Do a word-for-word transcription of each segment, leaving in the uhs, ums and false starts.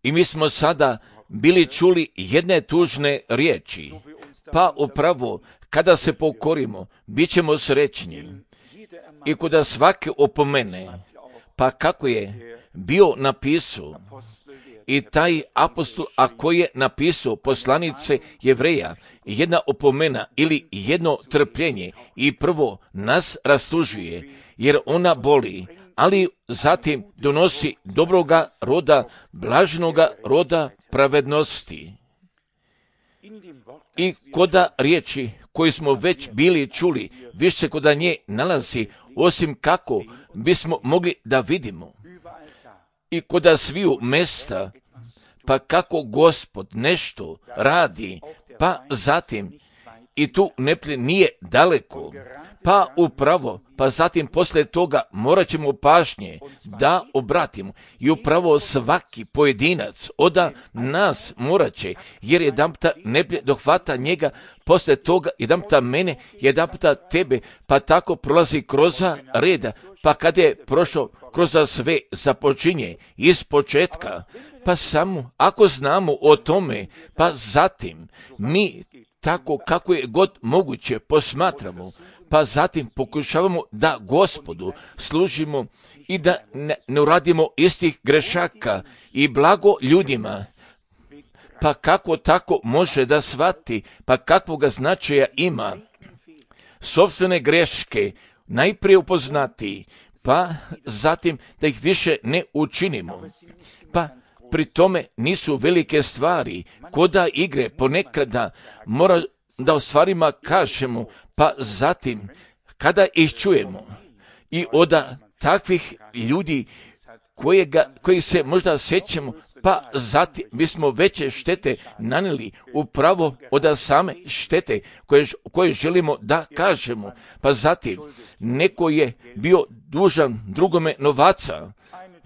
I mi smo sada bili čuli jedne tužne riječi, pa upravo kada se pokorimo, bit ćemo srećni. I kuda svake opomene, pa kako je bio napisao i taj apostol, a koji je napisao poslanice Jevreja, jedna opomena ili jedno trpljenje i prvo nas rastužuje, jer ona boli, ali zatim donosi dobroga roda, blaženoga roda pravednosti. I koda riječi koju smo već bili čuli, više se koda nje nalazi, osim kako bismo mogli da vidimo. I koda sviju mesta, pa kako Gospod nešto radi, pa zatim i tu neplje nije daleko, pa upravo, pa zatim poslije toga morat ćemo pažnje da obratimo i upravo svaki pojedinac oda nas morat će, jer jedanputa neplje dohvata njega, poslije toga jedanputa mene, jedanputa tebe, pa tako prolazi kroz reda, pa kada je prošao kroz sve započinje iz početka, pa samo ako znamo o tome, pa zatim mi tako kako je god moguće posmatramo, pa zatim pokušavamo da Gospodu služimo i da ne, ne uradimo istih grešaka i blago ljudima, pa kako tako može da shvati, pa kakvoga značaja ima sopstvene greške najprije upoznati, pa zatim da ih više ne učinimo. Pa pri tome nisu velike stvari, koda igre ponekada mora da o stvarima kažemo, pa zatim kada ih čujemo i od takvih ljudi kojega, koji se možda sjećamo, pa zatim bismo veće štete nanijeli upravo od same štete koje, koje želimo da kažemo, pa zatim neko je bio dužan drugome novaca,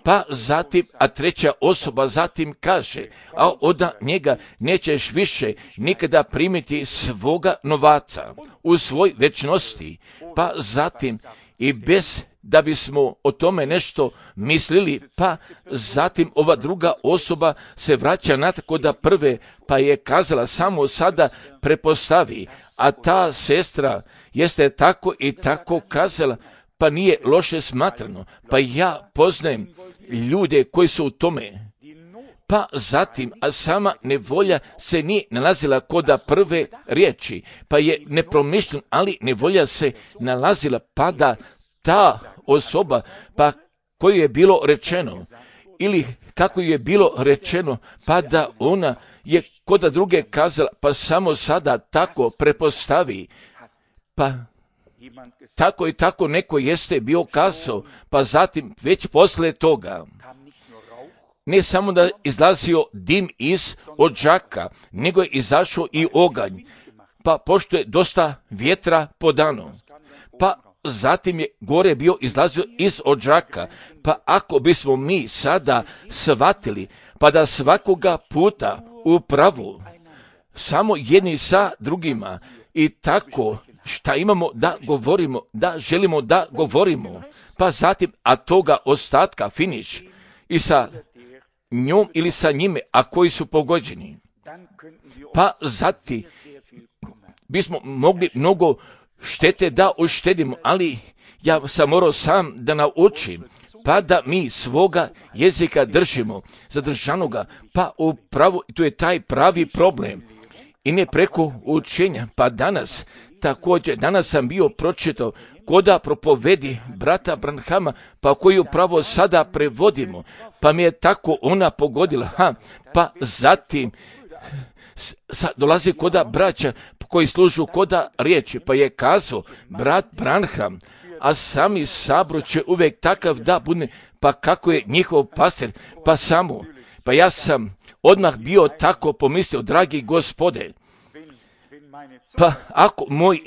pa zatim, a treća osoba zatim kaže, a od njega nećeš više nikada primiti svoga novaca u svoj večnosti, pa zatim i bez da bismo o tome nešto mislili, pa zatim ova druga osoba se vraća natrag da prve, pa je kazala samo sada prepostavi, a ta sestra jeste tako i tako kazala, pa nije loše smatrano, pa ja poznajem ljude koji su u tome, pa zatim, a sama nevolja se nije nalazila koda prve riječi, pa je nepromišljen, ali nevolja se nalazila, pa da ta osoba, pa koju je bilo rečeno, ili kako je bilo rečeno, pa da ona je koda druge kazala, pa samo sada tako prepostavi, pa tako i tako neko jeste bio kazao, pa zatim već poslije toga, ne samo da izlazio dim iz odžaka, nego je izašao i oganj, pa pošto je dosta vjetra podano, pa zatim je gore bio izlazio iz odžaka, pa ako bismo mi sada shvatili, pa da svakoga puta upravo samo jedni sa drugima i tako šta imamo da govorimo, da želimo da govorimo, pa zatim, a toga ostatka, finiš, i sa njom ili sa njime, a koji su pogođeni, pa zatim bismo mogli mnogo štete da uštedimo, ali ja sam morao sam da naučim, pa da mi svoga jezika držimo, zadržanoga, pa upravo, tu je taj pravi problem, i ne preko učenja, pa danas, također, danas sam bio pročitao koda propovedi brata Branhama, pa koju pravo sada prevodimo, pa mi je tako ona pogodila, ha, pa zatim sa, dolazi koda braća koji služu koda riječi, pa je kazao brat Branham, a sami sabor će uvijek takav da bude, pa kako je njihov pastir, pa samo, pa ja sam odmah bio tako pomislio, dragi Gospode, pa ako moj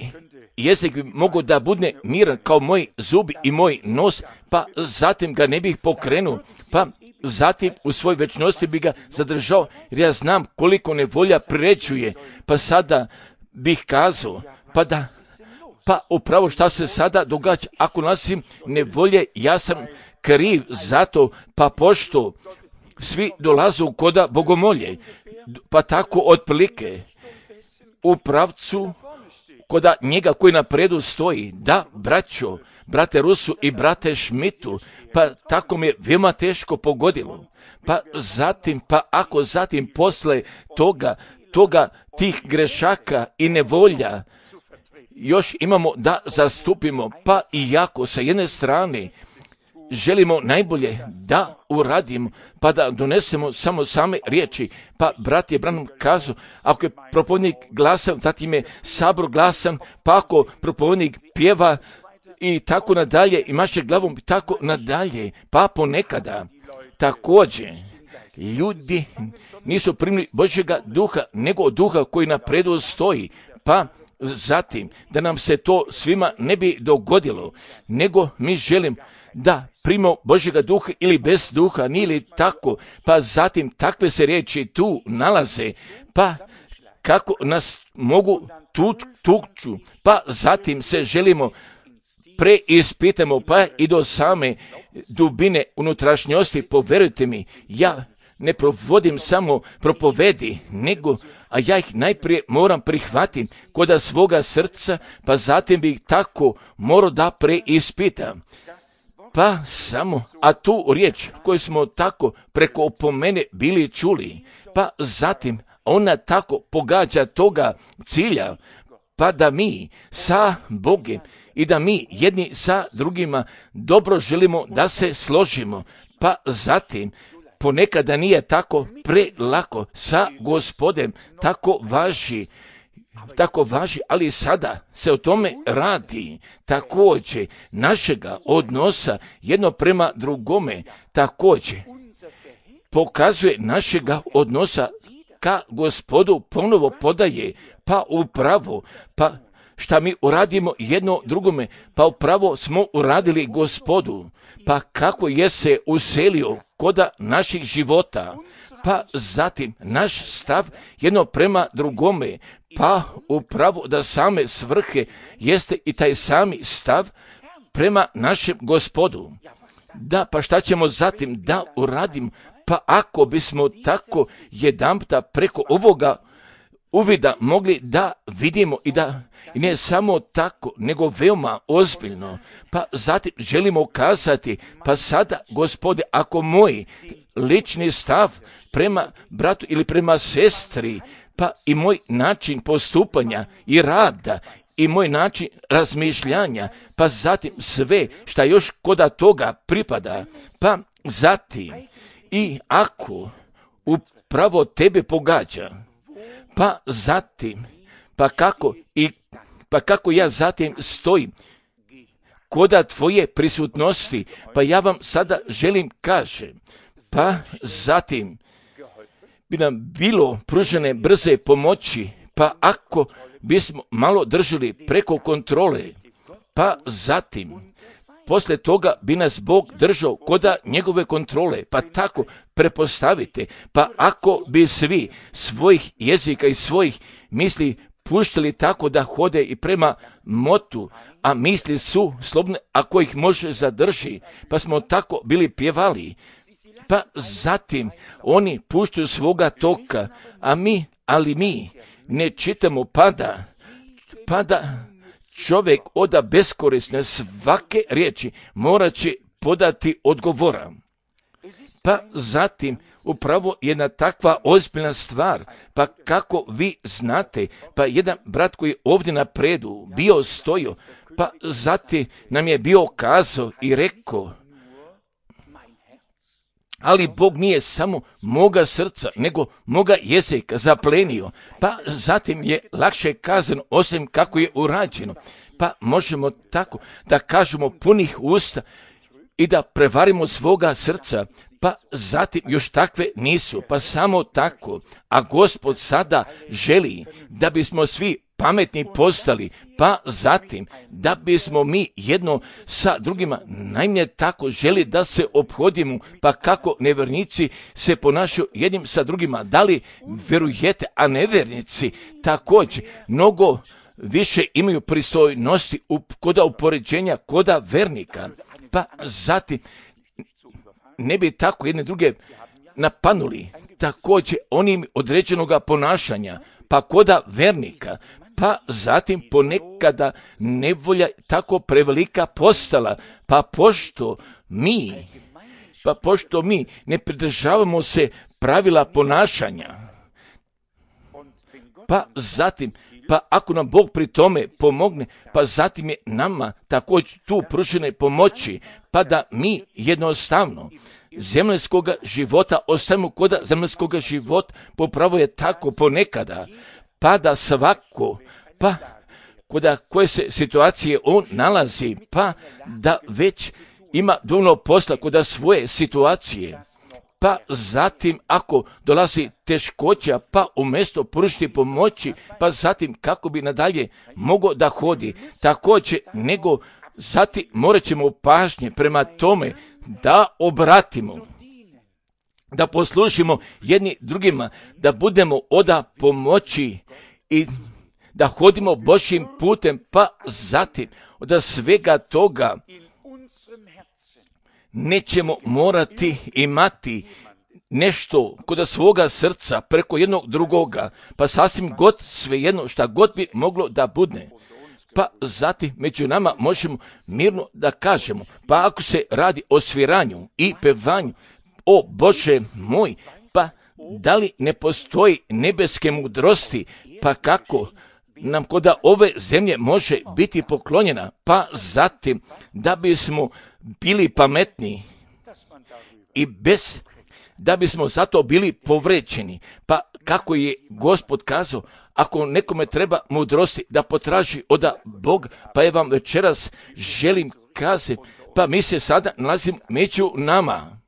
jezik bi mogao da bude miran kao moj zubi i moj nos, pa zatim ga ne bih pokrenuo, pa zatim u svoj večnosti bi ga zadržao, jer ja znam koliko nevolja priređuje, pa sada bih kazao, pa da, pa upravo šta se sada događa, ako nosim nevolje, ja sam kriv za to, pa pošto svi dolazu koda bogomolje, pa tako otprilike u pravcu koda njega koji na predu stoji. Da, braćo, brate Rusu i brate Šmitu, pa tako mi je veoma teško pogodilo. Pa zatim, pa ako zatim posle toga, toga tih grešaka i nevolja, još imamo da zastupimo, pa i jako sa jedne strane želimo najbolje da uradimo, pa da donesemo samo same riječi. Pa brat je Branham kazao, ako je propovednik glasan, zatim je sabor glasan, pa ako propovednik pjeva i tako nadalje, i maše glavom i tako nadalje, pa ponekada također ljudi nisu primili Božjega duha, nego duha koji na predu stoji, pa zatim da nam se to svima ne bi dogodilo, nego mi želim da primimo Božjega duha ili bez duha, nije li tako, pa zatim takve se riječi tu nalaze, pa kako nas mogu tuč, tuču, pa zatim se želimo preispitamo, pa i do same dubine unutrašnjosti. Poverujte mi, ja ne provodim samo propovedi, nego, a ja ih najprije moram prihvatiti koda svoga srca, pa zatim bih tako morao da preispitam. Pa samo, a tu riječ koju smo tako preko opomene bili čuli, pa zatim ona tako pogađa toga cilja, pa da mi sa Bogom i da mi jedni sa drugima dobro želimo da se složimo, pa zatim ponekada nije tako prelako sa Gospodem, tako važi, tako važi, ali sada se o tome radi. Također našega odnosa jedno prema drugome također pokazuje našega odnosa ka Gospodu ponovo podaje, pa upravo, pa šta mi uradimo jedno drugome, pa upravo smo uradili Gospodu, pa kako je se uselio koda naših života, pa zatim naš stav jedno prema drugome, pa upravo da same svrhe jeste i taj sami stav prema našem Gospodu. Da, pa šta ćemo zatim da uradim, pa ako bismo tako jedanputa preko ovoga uvida mogli da vidimo i da i ne samo tako, nego veoma ozbiljno, pa zatim želimo kazati, pa sada Gospode, ako moj lični stav prema bratu ili prema sestri, pa i moj način postupanja i rada i moj način razmišljanja, pa zatim sve šta još koda toga pripada, pa zatim i ako upravo tebe pogađa, pa zatim, pa kako i pa kako ja zatim stojim koda tvoje prisutnosti, pa ja vam sada želim kažem, pa zatim bi nam bilo pružene brze pomoći, pa ako bismo malo držali preko kontrole, pa zatim poslije toga bi nas Bog držao koda njegove kontrole, pa tako prepostavite, pa ako bi svi svojih jezika i svojih misli puštali tako da hode i prema motu, a misli su slobodne ako ih može zadrži, pa smo tako bili pjevali, pa zatim oni puštaju svoga toka, a mi, ali mi ne čitamo, pada, pada čovjek oda beskorisne svake riječi morat će podati odgovora. Pa zatim upravo jedna takva ozbiljna stvar, pa kako vi znate, pa jedan brat koji je ovdje na predu bio stojio, pa zatim nam je bio kazao i rekao, ali Bog nije samo moga srca, nego moga jezika zaplenio, pa zatim je lakše kazano osim kako je urađeno, pa možemo tako da kažemo punih usta i da prevarimo svoga srca, pa zatim još takve nisu, pa samo tako, a Gospod sada želi da bismo svi pametni postali, pa zatim da bismo mi jedno sa drugima najmanje tako želi da se ophodimo, pa kako nevjernici se ponašaju jednim sa drugima, da li vjerujete, a nevjernici također mnogo više imaju pristojnosti koda upoređenja, koda vernika, pa zatim ne bi tako jedne druge napanuli također onim određenoga ponašanja, pa koda vernika, pa zatim ponekada nevolja tako prevelika postala, pa pošto mi, pa pošto mi ne pridržavamo se pravila ponašanja, pa zatim, pa ako nam Bog pri tome pomogne, pa zatim je nama također tu pružene pomoći, pa da mi jednostavno zemljskoga života ostavimo koda zemljskoga života, popravo je tako ponekada, pa da svako, pa koda koje se situacije on nalazi, pa da već ima dovoljno posla koda svoje situacije, pa zatim ako dolazi teškoća, pa umjesto pružiti pomoći, pa zatim kako bi nadalje mogao da hodi, također nego zatim morat ćemo pažnje prema tome da obratimo, da poslušimo jedni drugima, da budemo oda pomoći i da hodimo Božjim putem, pa zatim od svega toga nećemo morati imati nešto kod svoga srca preko jednog drugoga, pa sasvim god svejedno šta god bi moglo da bude. Pa zatim među nama možemo mirno da kažemo, pa ako se radi o sviranju i pevanju, o Bože moj, pa da li ne postoji nebeske mudrosti, pa kako nam koda ove zemlje može biti poklonjena, pa zatim da bismo bili pametni i bez, da bismo zato bili povređeni, pa kako je Gospod kazao, ako nekome treba mudrosti da potraži od Boga, pa je vam večeras želim kazati, pa mi se sada nalazimo među nama.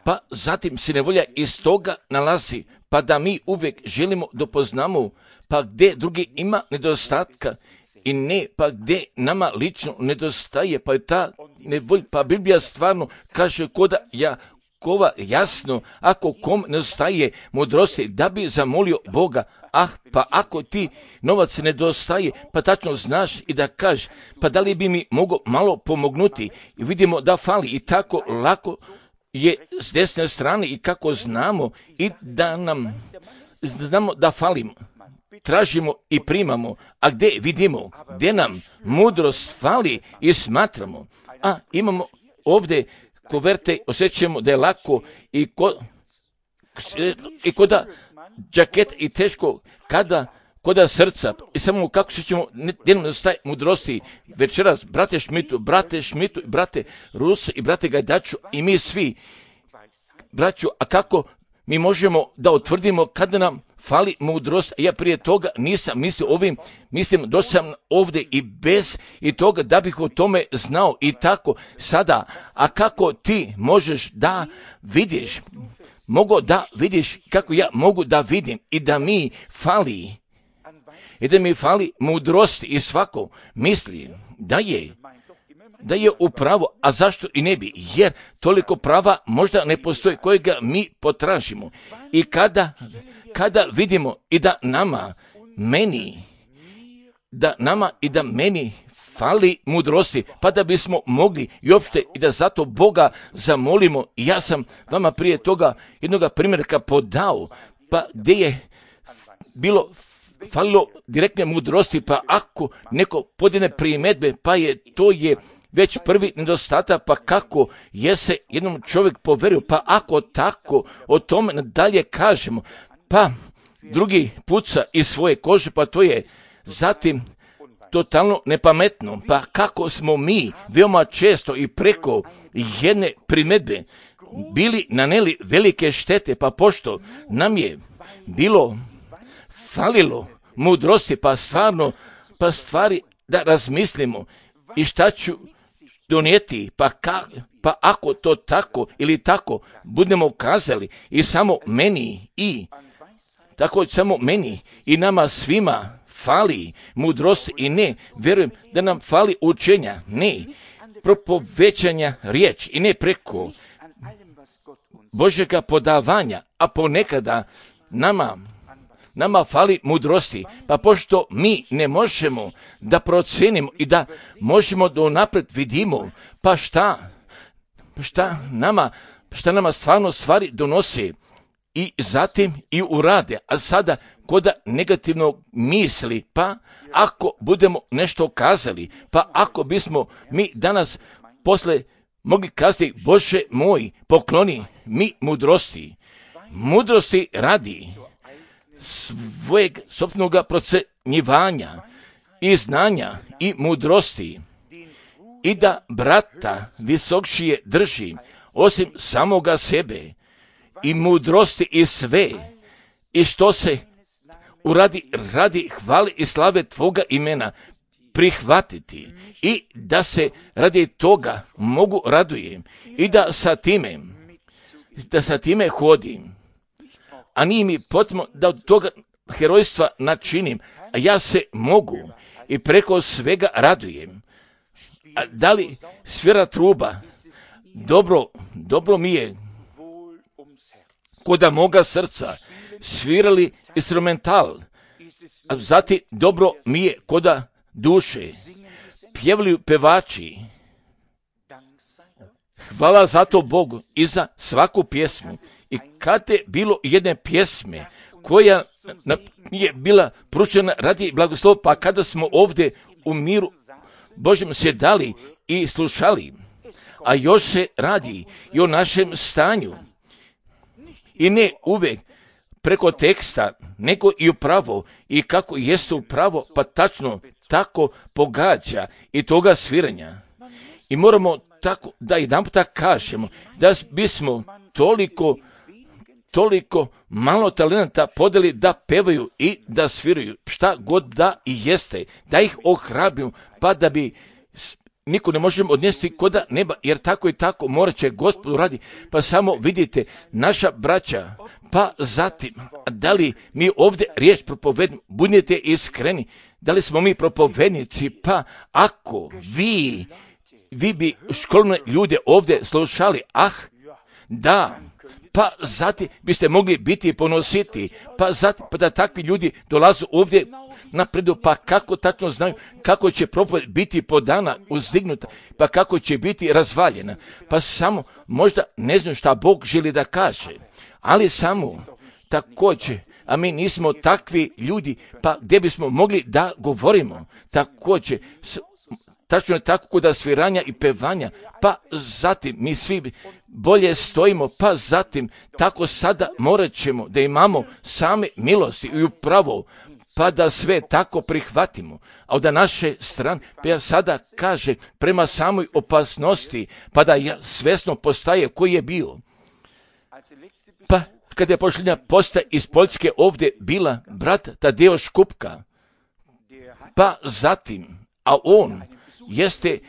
Pa zatim se nevolja iz toga nalazi, pa da mi uvijek želimo da poznamo, pa gdje drugi ima nedostatka i ne, pa gdje nama lično nedostaje, pa je ta nevolja, pa Biblija stvarno kaže koda Jakova jasno, ako kom nedostaje mudrosti, da bi zamolio Boga, ah, pa ako ti novac nedostaje, pa tačno znaš i da kažeš, pa da li bi mi mogao malo pomognuti i vidimo da fali i tako lako je s desne strane i kako znamo i da nam znamo da falimo, tražimo i primamo, a gdje vidimo, gdje nam mudrost fali i smatramo, a imamo ovdje koverte, osjećamo da je lako i, ko, i koda džaket i teško, kada koda srca, i samo kako se ćemo, jednom nedostaje mudrosti, večeras, brate Šmitu, brate Šmitu, brate Rus i brate Gajdaču i mi svi, braću, a kako mi možemo da utvrdimo kada nam fali mudrost, ja prije toga nisam mislio ovim, mislim da sam ovdje i bez i toga da bih o tome znao i tako sada, a kako ti možeš da vidiš, mogu da vidiš kako ja mogu da vidim i da mi fali, i da mi fali mudrosti i svako misli da je, da je upravo, a zašto i ne bi, jer toliko prava možda ne postoji kojega mi potražimo. I kada, kada vidimo i da nama, meni, da nama i da meni fali mudrosti, pa da bismo mogli i uopšte i da zato Boga zamolimo. Ja sam vama prije toga jednoga primjerka podao, pa gdje je bilo falilo direktne mudrosti, pa ako neko podine primjedbe, pa je to je već prvi nedostatak, pa kako je se jednom čovjek poverio, pa ako tako o tome nadalje kažemo, pa drugi puca iz svoje kože, pa to je zatim totalno nepametno, pa kako smo mi veoma često i preko jedne primjedbe bili naneli velike štete, pa pošto nam je bilo falilo mudrosti, pa stvarno, pa stvari da razmislimo i šta ću donijeti, pa, ka, pa ako to tako ili tako budemo kazali i samo meni i tako samo meni i nama svima fali mudrosti i ne, vjerujem da nam fali učenja, ne, propovećanja riječ i ne preko Božjega podavanja, a ponekada nama Nama fali mudrosti, pa pošto mi ne možemo da procenimo i da možemo da unaprijed vidimo, pa šta, šta nama šta nama stvarno stvari donose i zatim i urade, a sada koda negativno misli, pa ako budemo nešto kazali, pa ako bismo mi danas posle mogli kazati, Bože moj, pokloni mi mudrosti, mudrosti radi svojeg sopstvenog procenjivanja i znanja i mudrosti, i da brata visokšije drži osim samoga sebe i mudrosti i sve, i što se uradi radi hvale i slave Tvoga imena prihvatiti, i da se radi toga mogu radujem, i da sa time da sa time hodim, a nije mi potrebno da od toga herojstva načinim, a ja se mogu i preko svega radujem. A da li svira truba, dobro, dobro mi je koda moga srca svirali instrumental, a zatim dobro mi je koda duše pjevaju pevači. Hvala zato Bogu i za svaku pjesmu. I kad je bilo jedne pjesme koja je bila pručena radi blagoslova, pa kada smo ovdje u miru Božjem sjedali i slušali, a još se radi i o našem stanju, i ne uvijek preko teksta, nego i upravo, i kako jeste upravo, pa tačno tako pogađa i toga sviranja. I moramo tako da jedan puta kažemo da bismo toliko toliko malo talenta podeli da pevaju i da sviraju, šta god da i jeste, da ih ohrabrimo, pa da bi niko ne možemo odnesti koda neba, jer tako i tako morat će Gospodu radi. Pa samo vidite, naša braća, pa zatim, da li mi ovdje riječ propovedimo, budite iskreni, da li smo mi propovednici, pa ako vi, vi bi školne ljude ovdje slušali, ah, da, pa zatim biste mogli biti ponositi, pa zatim pa da takvi ljudi dolaze ovdje napredu, pa kako tačno znaju kako će propoved biti podana, uzdignuta, pa kako će biti razvaljena, pa samo možda ne znam šta Bog želi da kaže, ali samo također, a mi nismo takvi ljudi, pa gdje bismo mogli da govorimo, također, tačno je tako kod sviranja i pevanja, pa zatim mi svi bolje stojimo, pa zatim tako sada morat ćemo da imamo same milosti i upravo, pa da sve tako prihvatimo. A od naše strane, pa ja sada kažem, prema samoj opasnosti, pa da ja svjesno postaje koji je bio. Pa kada je posljednja posta iz Poljske ovdje bila brat Tadeo Škupka, pa zatim, a on jeste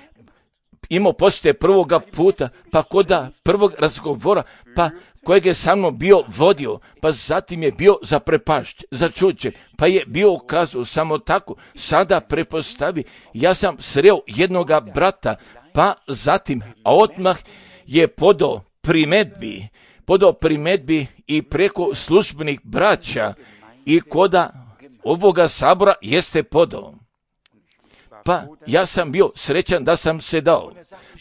imao poslije prvoga puta, pa koda prvog razgovora, pa kojeg je sa mnom bio vodio, pa zatim je bio zaprepašćen, začuđen, pa je bio ukazao samo tako, sada prepostavi, ja sam sreo jednoga brata, pa zatim, a odmah je podao primedbi, podao primedbi i preko službenih braća i koda ovoga sabora jeste podao. Pa ja sam bio srećan da sam se dao.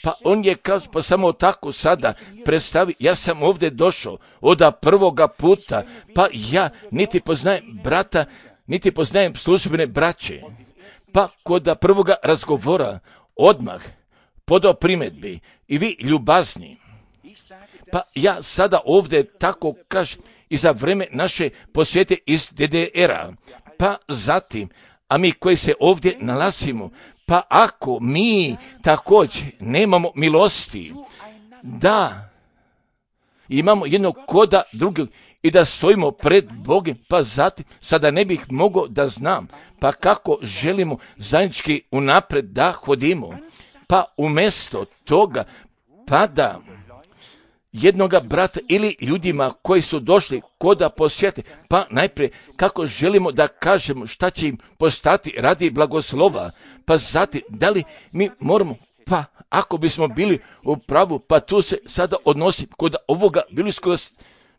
Pa on je kazao, pa samo tako sada predstavi, ja sam ovdje došao od prvoga puta, pa ja niti poznajem brata, niti poznajem službene braće. Pa kod prvoga razgovora odmah podao primjedbi i vi ljubazni. Pa ja sada ovdje tako kažem i za vreme naše posjete iz D D R-a, pa zatim, a mi koji se ovdje nalazimo, pa ako mi također nemamo milosti, da imamo jednog koda drugog i da stojimo pred Bogom, pa zatim sada ne bih mogao da znam, pa kako želimo zajednički unapred da hodimo, pa umjesto toga, pa da jednoga brata ili ljudima koji su došli koda posjete, pa najprije kako želimo da kažemo šta će im postati radi blagoslova, pa zatim da li mi moramo, pa ako bismo bili u pravu, pa tu se sada odnosi kod ovoga biblijskog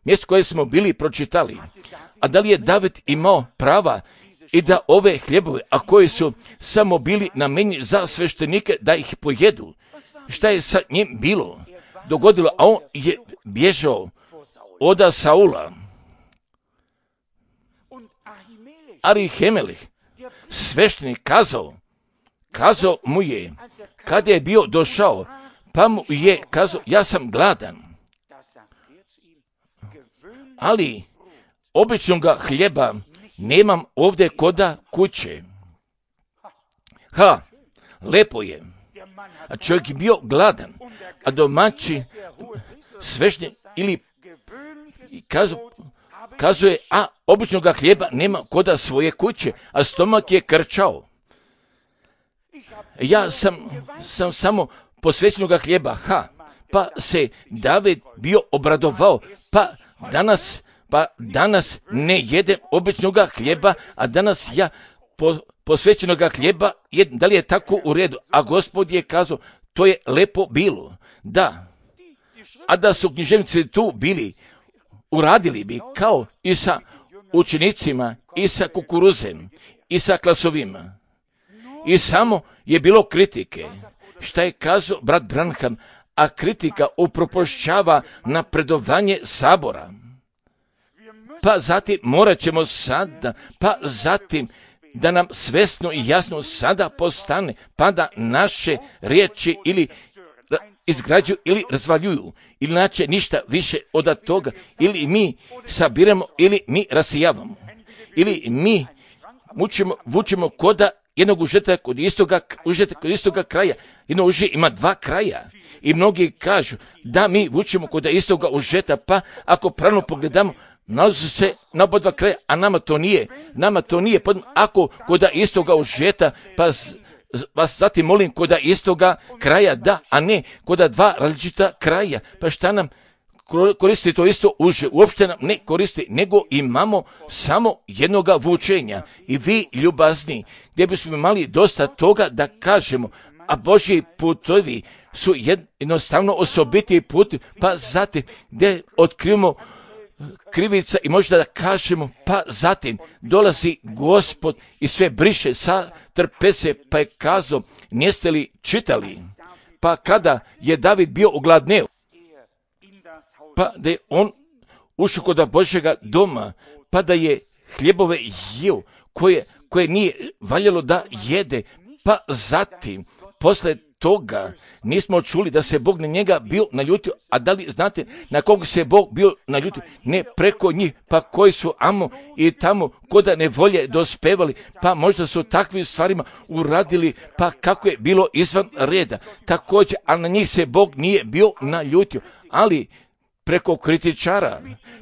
mjesta koje smo bili pročitali, a da li je David imao prava i da ove hljebove, a koji su samo bili namijenjeni za sveštenike da ih pojedu, šta je sa njim bilo? dogodilo, a on je bježao od Saula. Ahimeleh, sveštenik, kazao, kazao mu je, kada je bio došao, pa mu je kazao, ja sam gladan, ali običnoga hljeba nemam ovdje koda kuće. Ha, lepo je. A čovjek je bio gladan, a domaći sveštenik ili kazao, kazuje, a običnoga hljeba nema koda svoje kuće, a stomak je krčao. Ja sam, sam samo posvećenoga hljeba, ha, pa se David bio obradovao, pa danas, pa danas ne jedem običnoga hljeba, a danas ja po, posvećenoga hljeba jedem. Da li je tako u redu? A Gospod je kazao, to je lepo bilo, da. A da su književnici tu bili, uradili bi kao i sa učenicima, i sa kukuruzem, i sa klasovima. I samo je bilo kritike. Šta je kazao brat Branham, a kritika upropašćava napredovanje sabora. Pa zatim morat ćemo sada, pa zatim da nam svesno i jasno sada postane, pa da naše riječi ili izgrađuju ili razvaljuju, ili inače ništa više od toga, ili mi sabiramo, ili mi rasijavamo, ili mi mučimo, vučemo koda jednog užeta kod istoga, užeta kod istoga kraja. Jedno uže ima dva kraja. I mnogi kažu da mi vučemo kod istoga užeta, pa ako pravno pogledamo, nalazi se na oba dva kraja, a nama to nije. Nama to nije. Ako kod istoga užeta, pa vas zatim molim kod istoga kraja, da, a ne kod dva različita kraja. Pa šta nam koristi to isto uže? Uopšte nam ne koristi, nego imamo samo jednoga vučenja. I vi, ljubazni, gdje bismo imali dosta toga da kažemo, a Božji putovi su jednostavno osobiti put, pa zatim gdje otkrivamo krivica i možda da kažemo, pa zatim dolazi Gospod i sve briše sa trpeze, pa je kazao, niste li čitali? Pa kada je David bio ogladneo, pa da je on ušao kod Božjega doma, pa da je hljebove jeo koje, koje nije valjalo da jede, pa zatim posle toga nismo čuli da se Bog na njega bio naljutio. A da li znate na koga se Bog bio naljutio? Ne preko njih, pa koji su amo i tamo koda nevolje dospevali, pa možda su takvim stvarima uradili, pa kako je bilo izvan reda. Također, a na njih se Bog nije bio naljutio, ali preko kritičara,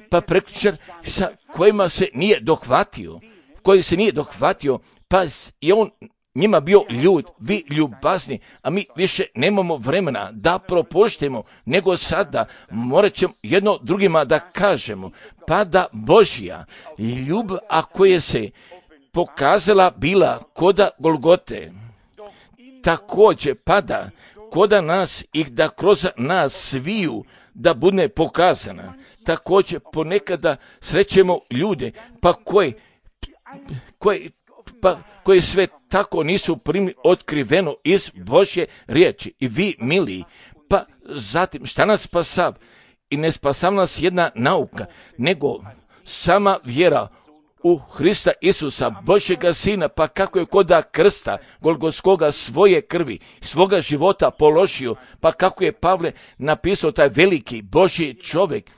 pa kritičar sa kojima se nije dohvatio, koji se nije dohvatio, pa je on njima bio ljud, vi ljubazni, a mi više nemamo vremena da propuštimo, nego sada morat ćemo jedno drugima da kažemo, pa da Božja ljubav, a koja se pokazala bila koda Golgote, također pada koda nas i da kroz nas sviju da bude pokazana. Također ponekada srećemo ljude, pa koji, koji pa koji sve tako nisu primili otkriveno iz Božje riječi. I vi, mili, pa zatim šta nas spasav? I ne spasav nas jedna nauka, nego sama vjera u Hrista Isusa, Božjega Sina, pa kako je koda krsta Golgotskoga svoje krvi, svoga života položio, pa kako je Pavle napisao taj veliki Božji čovjek.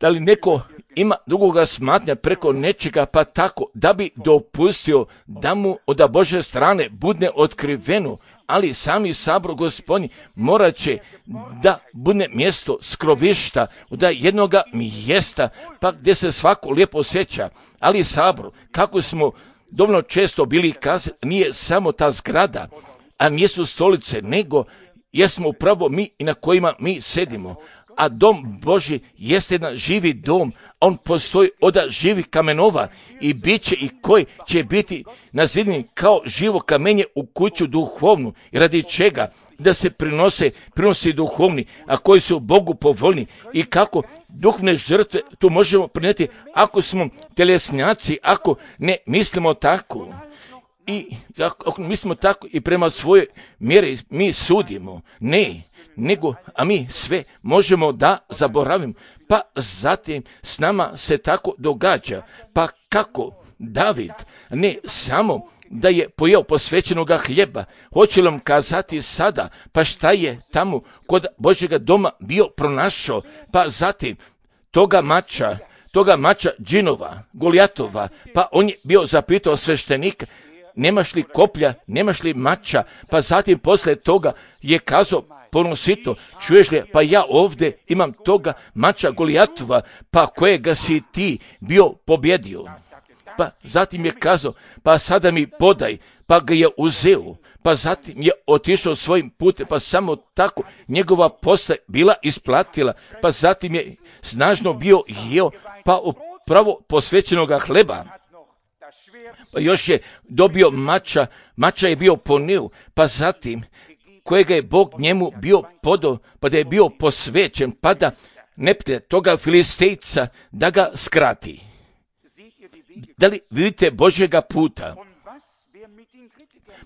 Da li neko ima drugoga smatnja preko nečega, pa tako da bi dopustio da mu od Božje strane bude otkriveno, ali sami sabor Gospodnji morat će da bude mjesto skrovišta, da jednoga mjesta, pa gdje se svako lijepo osjeća, ali sabor, kako smo dovoljno često bili kazali, nije samo ta zgrada, a nisu stolice, nego jesmo upravo mi i na kojima mi sedimo. A dom Božji jeste jedan živi dom, on postoji od živih kamenova i bit će i koji će biti nazidani kao živo kamenje u kuću duhovnu. I radi čega? Da se prinose, prinosi duhovni, a koji su Bogu povoljni. I kako duhovne žrtve tu možemo prinijeti ako smo telesnjaci, ako ne mislimo tako. I ako mi smo tako i prema svojoj mjeri mi sudimo, ne, nego, a mi sve možemo da zaboravimo. Pa zatim s nama se tako događa. Pa kako David ne samo da je pojeo posvećenoga hljeba, hoću li vam kazati sada, pa šta je tamo kod Božjega doma bio pronašao, pa zatim toga mača, toga mača džinova, Golijatova, pa on je bio zapitao sveštenika, nemaš li koplja, nemaš li mača, pa zatim poslije toga je kazao ponosito, čuješ li, pa ja ovdje imam toga mača Golijatova, pa kojega si ti bio pobjedio. Pa zatim je kazao, pa sada mi podaj, pa ga je uzeo, pa zatim je otišao svojim putem, pa samo tako njegova posla bila isplatila, pa zatim je snažno bio jeo, pa upravo posvećenoga hleba. Pa još je dobio mača, mača je bio ponio, pa zatim kojega je Bog njemu bio podao, pa da je bio posvećen, pa da nepte toga Filistejca da ga skrati. Da li vidite Božjega puta?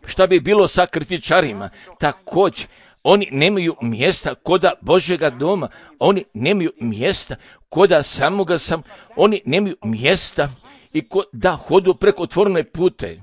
Šta bi bilo sa kritičarima? Također, oni nemaju mjesta koda Božjega doma, oni nemaju mjesta koda samoga sam, oni nemaju mjesta i ko, da hodu preko otvorene pute.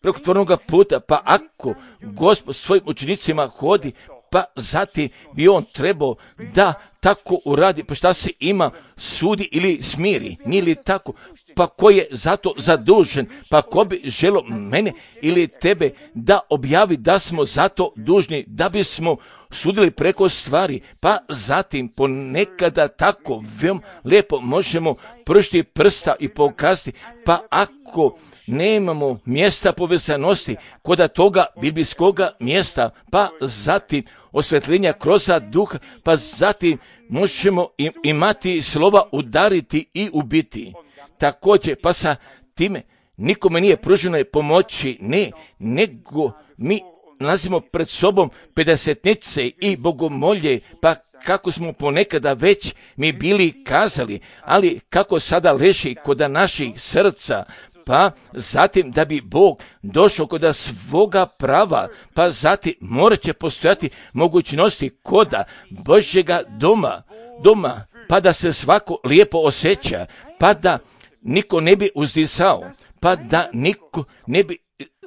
Preko otvorenog puta, pa ako Gospod svojim učenicima hodi, pa zatim bi on trebao da tako uradi, pa šta se ima, sudi ili smiri, nije li tako? Pa ko je zato zadužen, pa ko bi želo mene ili tebe da objavi da smo zato dužni, da bismo sudili preko stvari, pa zatim ponekada tako veoma lijepo možemo pršti prsta i pokazati, pa ako nemamo mjesta povezanosti kod toga biblijskoga mjesta, pa zatim osvetljenja kroz duha, pa zatim možemo imati slova udariti i ubiti. Također, pa sa time nikome nije pruženo pomoći, ne, nego mi nalazimo pred sobom pedesetnice i bogomolje, pa kako smo ponekada već mi bili kazali, ali kako sada leži kod naših srca, pa zatim da bi Bog došao kod svoga prava, pa zatim morat će postojati mogućnosti koda Božjega doma, doma, pa da se svako lijepo osjeća, pa da niko ne bi uzdisao, pa da niko ne bi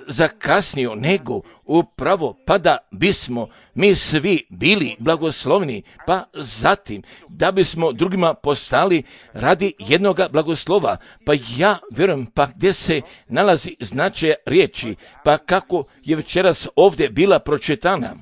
zakasnio, nego upravo pa da bismo mi svi bili blagoslovni, pa zatim da bismo drugima postali radi jednoga blagoslova. Pa ja vjerujem, pa gdje se nalazi značaj riječi, pa kako je večeras ovdje bila pročitana,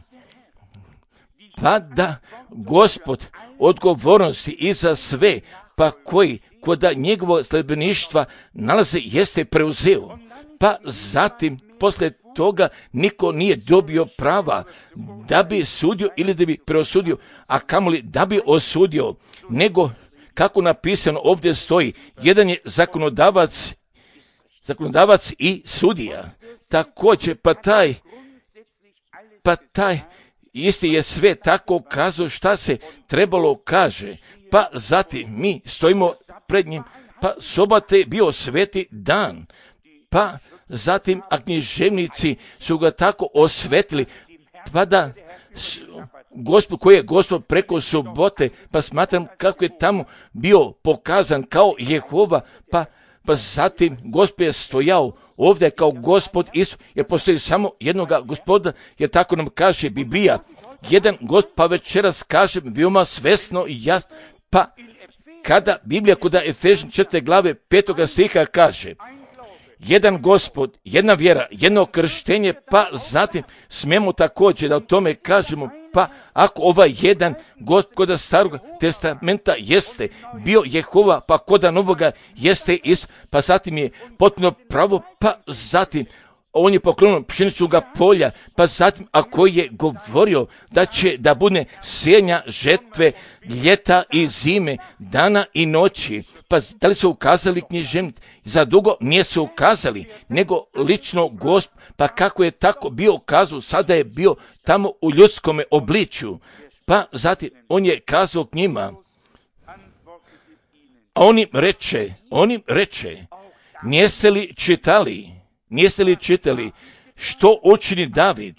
pa da Gospod odgovornosti i za sve, pa koji kod njegovog sledbeništva nalaze jeste preuzeo, pa zatim poslije toga niko nije dobio prava da bi sudio ili da bi preosudio, a kamoli da bi osudio, nego kako napisano ovdje stoji, jedan je zakonodavac, zakonodavac i sudija. Također, pa taj, pa taj isti je sve tako kazao šta se trebalo kaže, pa zatim mi stojimo pred njim, pa sobate je bio sveti dan, pa zatim a književnici su ga tako osvetili, pa da Gospod, koji je Gospod preko subote, pa smatram kako je tamo bio pokazan kao Jehova, pa, pa zatim Gospod je stojao ovdje kao Gospod Isus, jer postoji samo jednoga Gospoda, jer tako nam kaže Biblija, jedan Gospod, pa večeras kažem veoma svesno i jasno, pa kada Biblija kod Efežan četvrte glave petoga stiha kaže, jedan Gospod, jedna vjera, jedno krštenje, pa zatim smemo također da o tome kažemo, pa ako ovaj jedan Gospod kod starog testamenta jeste bio Jehova, pa kod novoga jeste isto, pa zatim je potpuno pravo, pa zatim on je poklonio pšeničnoga polja, pa zatim ako je govorio da će da bude sjenja žetve ljeta i zime, dana i noći, pa da li su ukazali književnici? Za dugo nije su ukazali, nego lično Gospod, pa kako je tako bio kazao, sada je bio tamo u ljudskome obličju, pa zatim on je kazao k njima, a on im reče, on im reče, nijeste li čitali, Niste li čitali što učini David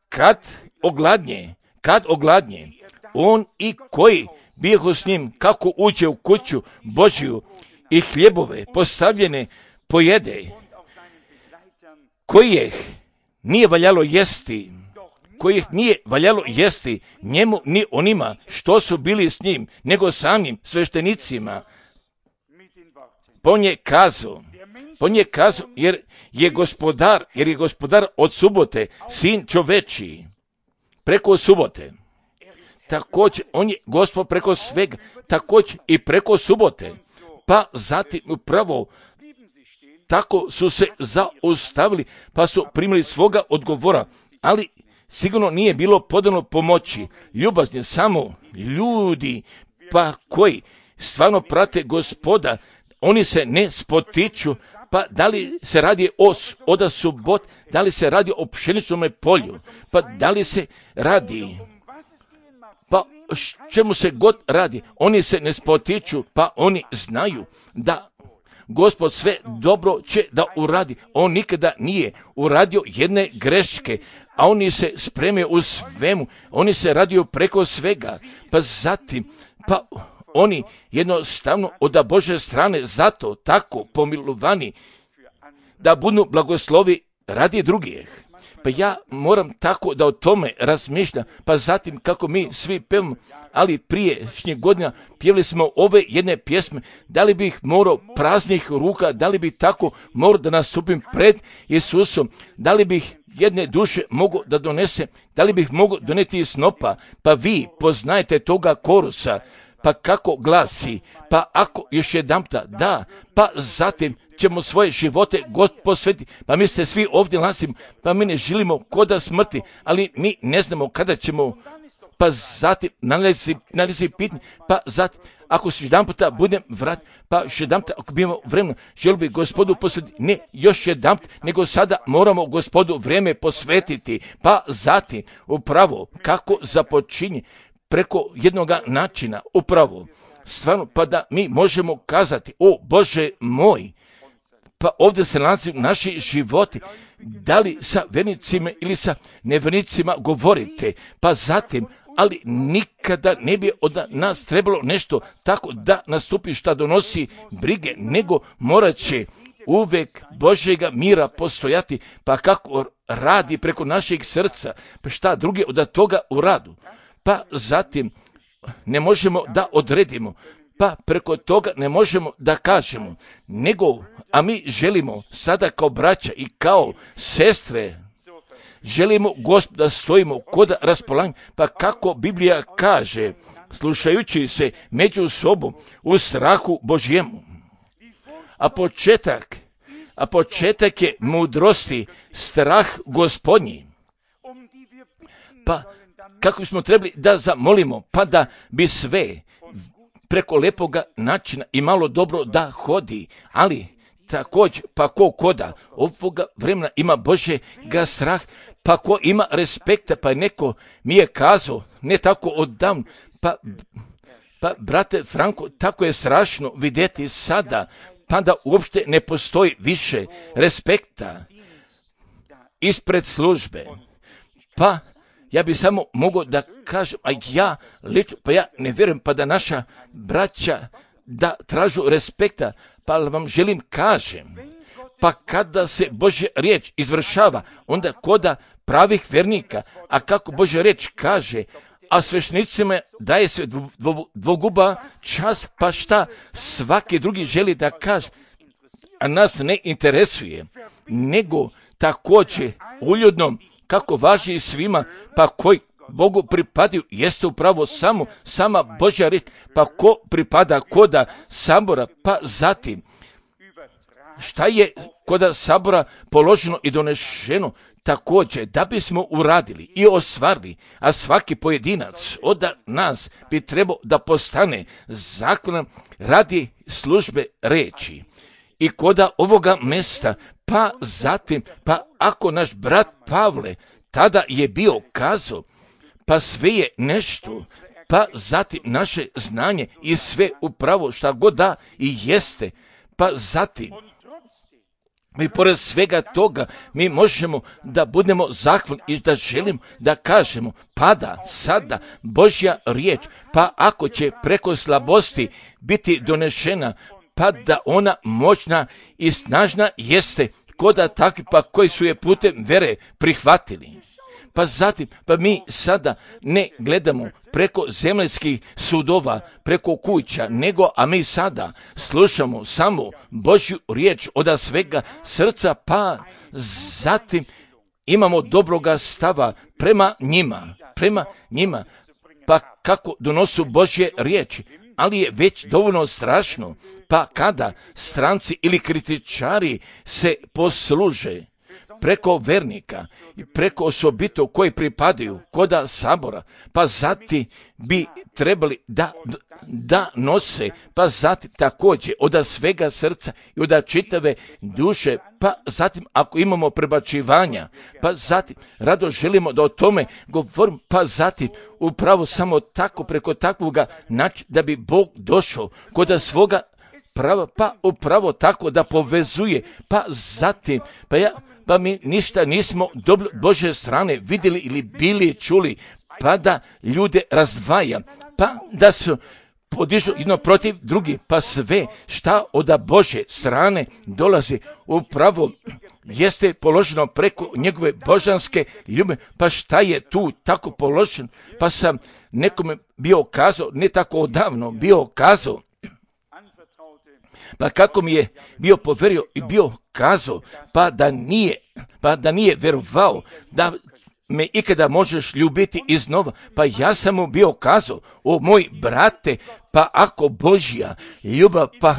kad ogladnje, kad ogladnje, on i koji bijehu s njim, kako uđe u kuću Božju i hljebove postavljene pojede, kojih nije valjalo jesti, kojih nije valjalo jesti njemu ni onima što su bili s njim, nego samim sveštenicima. Po nje kazao, po nje kazao, jer je gospodar, jer je gospodar od subote, sin čovečiji, preko subote. Također, on je gospod preko svega, također i preko subote. Pa zatim upravo tako su se zaustavili, pa su primili svoga odgovora, ali sigurno nije bilo podano pomoći. Ljubazni samo ljudi, pa koji stvarno prate Gospoda, oni se ne spotiču, pa da li se radi o oda subot, da li se radi o pšeničnom polju, pa da li se radi, pa čemu se god radi, oni se ne spotiču, pa oni znaju da Gospod sve dobro će da uradi. On nikada nije uradio jedne greške, a oni se spreme u svemu, oni se radio preko svega, pa zatim, pa oni jednostavno od Božje strane zato tako pomilovani da budu blagoslovi radi drugih. Pa ja moram tako da o tome razmišljam, pa zatim kako mi svi pevamo, ali priješnjih godina pjevali smo ove jedne pjesme, da li bih morao praznih ruka, da li bih tako morao da nastupim pred Isusom, da li bih jedne duše mogu da donesem, da li bih mogu doneti iz snopa, pa vi poznajete toga korusa, pa kako glasi, pa ako još jedanputa da, pa zatim ćemo svoje živote God posvetiti, pa mi se svi ovdje nalazimo, pa mi ne želimo koda smrti, ali mi ne znamo kada ćemo, pa zatim nalazi, nalazi pitanje, pa zatim ako se jedan puta budem vrat, pa još jedan puta ako bi imamo vremena, želio bi Gospodu posvetiti, ne još jedan puta, nego sada moramo Gospodu vreme posvetiti, pa zatim upravo kako započinje preko jednoga načina, upravo, stvarno, pa da mi možemo kazati, o Bože moj, pa ovdje se nalazi naši životi, da li sa vernicima ili sa nevernicima govorite, pa zatim, ali nikada ne bi od nas trebalo nešto tako da nastupi šta donosi brige, nego morat će uvijek Božjega mira postojati, pa kako radi preko našeg srca, pa šta druge od toga u radu. Pa zatim ne možemo da odredimo, pa preko toga ne možemo da kažemo, nego, a mi želimo sada kao braća i kao sestre, želimo Gospoda stojimo kod raspolaganja, pa kako Biblija kaže, slušajući se među sobom u strahu Božjemu. A početak, a početak je mudrosti, strah Gospodnji. Pa kako bismo trebali da zamolimo, pa da bi sve preko lepoga načina i malo dobro da hodi, ali također, pa ko koda ovoga vremena ima Božjega strah, pa ko ima respekta, pa neko mi je kazao, ne tako odavno, pa, pa brate Franko, tako je strašno vidjeti sada, pa da uopšte ne postoji više respekta ispred službe, pa ja bi samo mogao da kažem, a ja lično, pa ja ne vjerujem, pa da naša braća da tražu respekta, pa vam želim kažem, pa kada se Božja riječ izvršava, onda koda pravih vernika, a kako Božja riječ kaže, a svešnicima daje se dvoguba čas, pa šta svaki drugi želi da kaže, a nas ne interesuje, nego također uljudnom, kako važi svima, pa koji Bogu pripadaju, jeste upravo samo sama Božja riječ, pa ko pripada koda sabora, pa zatim šta je koda sabora položeno i donešeno, također da bismo uradili i ostvarili, a svaki pojedinac od nas bi trebao da postane zakonom radi službe reči. I koda ovoga mesta, pa zatim, pa ako naš brat Pavle tada je bio kazao, pa sve je nešto, pa zatim naše znanje i sve upravo šta god da i jeste, pa zatim, I pored svega toga mi možemo da budemo zahvalni i da želim da kažemo, pa da sada Božja riječ, pa ako će preko slabosti biti donešena, pa da ona moćna i snažna jeste, koda takvi pa koji su je putem vere prihvatili. Pa zatim, pa mi sada ne gledamo preko zemaljskih sudova, preko kuća, nego, a mi sada slušamo samo Božju riječ od svega srca, pa zatim imamo dobroga stava prema njima, prema njima, pa kako donosu Božje riječi, ali je već dovoljno strašno, pa kada stranci ili kritičari se posluže preko vernika i preko osobito koji pripadaju koda sabora, pa zatim bi trebali da, da nose, pa zatim također od svega srca i od čitave duše, pa zatim ako imamo prebačivanja, pa zatim rado želimo da o tome govorim, pa zatim upravo samo tako preko takvoga načina da bi Bog došao kod svoga prava, pa upravo tako da povezuje, pa zatim, pa ja pa mi ništa nismo dobro Božje strane vidjeli ili bili čuli, pa da ljude razdvaja, pa da su podižu jedno protiv drugi, pa sve šta od Božje strane dolazi upravo jeste položeno preko njegove božanske ljubavi, pa šta je tu tako položeno, pa sam nekome bio kazao, ne tako odavno bio kazao, pa kako mi je bio poverio i bio kazao, pa da nije, pa da nije verovao da me ikada možeš ljubiti iznova, pa ja sam mu bio kazao, o moj brate, pa ako Božja ljubav, pa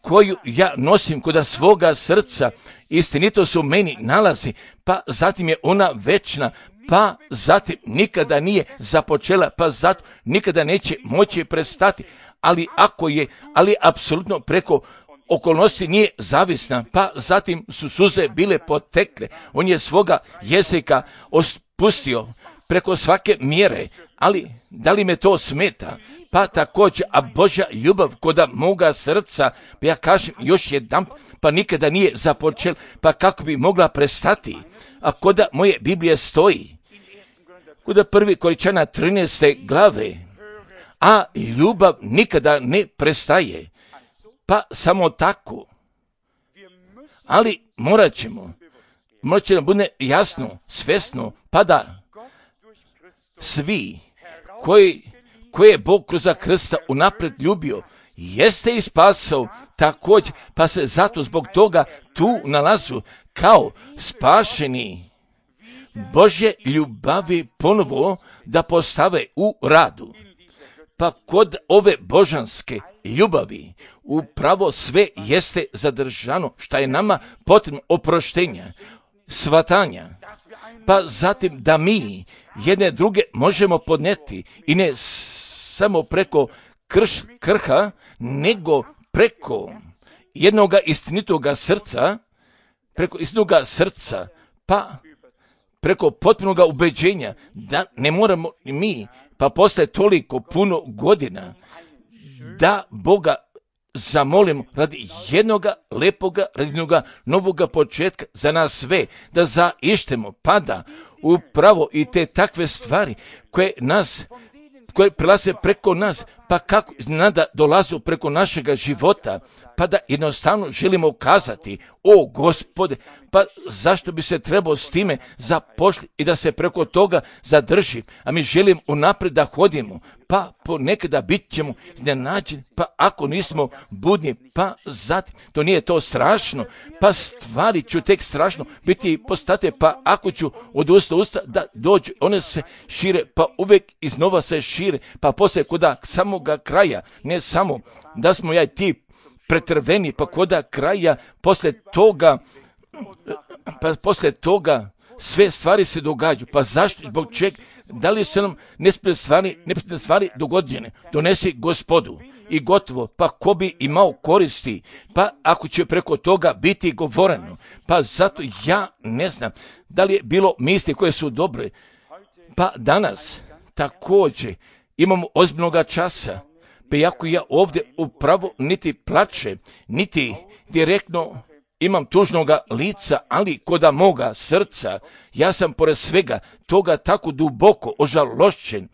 koju ja nosim kod svoga srca, istinito se u meni nalazi, pa zatim je ona večna, pa zatim nikada nije započela, pa zato nikada neće moći prestati, ali ako je, ali apsolutno preko okolnosti nije zavisna, pa zatim su suze bile potekle, on je svoga jezika ospustio preko svake mjere, ali da li me to smeta? Pa također, a Božja ljubav koda moga srca, pa ja kažem još jedan, pa nikada nije započela, pa kako bi mogla prestati, a koda moje Biblije stoji, koda prvi Korinčana trinaeste glave, a ljubav nikada ne prestaje, pa samo tako. Ali morat ćemo, morat će nam bude jasno, svjesno, pa da svi koji, koje je Bog kroz Krista unaprijed ljubio, jeste i spasao također, pa se zato zbog toga tu nalazu kao spašeni Božje ljubavi ponovo da postave u radu. Pa kod ove božanske ljubavi upravo sve jeste zadržano šta je nama potrebno oproštenja, svatanja, pa zatim da mi jedne druge možemo podneti i ne samo preko krš, krha, nego preko jednoga istinitoga srca, preko istinitoga srca, pa preko potpunoga ubeđenja da ne moramo mi, pa posle toliko puno godina, da Boga zamolimo radi jednoga lepoga, radi jednoga novoga početka za nas sve, da zaištemo, pa da upravo i te takve stvari koje nas, koje prelaze preko nas, pa kako nada dolazu preko našega života, pa da jednostavno želimo kazati, o Gospode, pa zašto bi se trebao s time zapošli i da se preko toga zadrži, a mi želimo unaprijed da hodimo, pa ponekada bit ćemo iznenađeni, pa ako nismo budni, pa zatim, to nije to strašno, pa stvari ću tek strašno biti postate, pa ako ću od usta usta da dođu, one se šire, pa uvijek iznova se šire, pa poslije koda samoga kraja, ne samo da smo ja i ti pretrveni, pa koda kraja, poslije toga, pa poslije toga sve stvari se događaju. Pa zašto, zbog čega, da li su nam nespretne stvari, nespretne stvari dogođene? Donesi Gospodu i gotovo, pa ko bi imao koristi, pa ako će preko toga biti govoreno, pa zato ja ne znam da li je bilo misli koje su dobre, pa danas također imamo ozbiljnoga časa, pa jako ja ovdje upravo niti plače, niti direktno imam tužnoga lica, ali koda moga srca, ja sam pored svega toga tako duboko ožalošćen,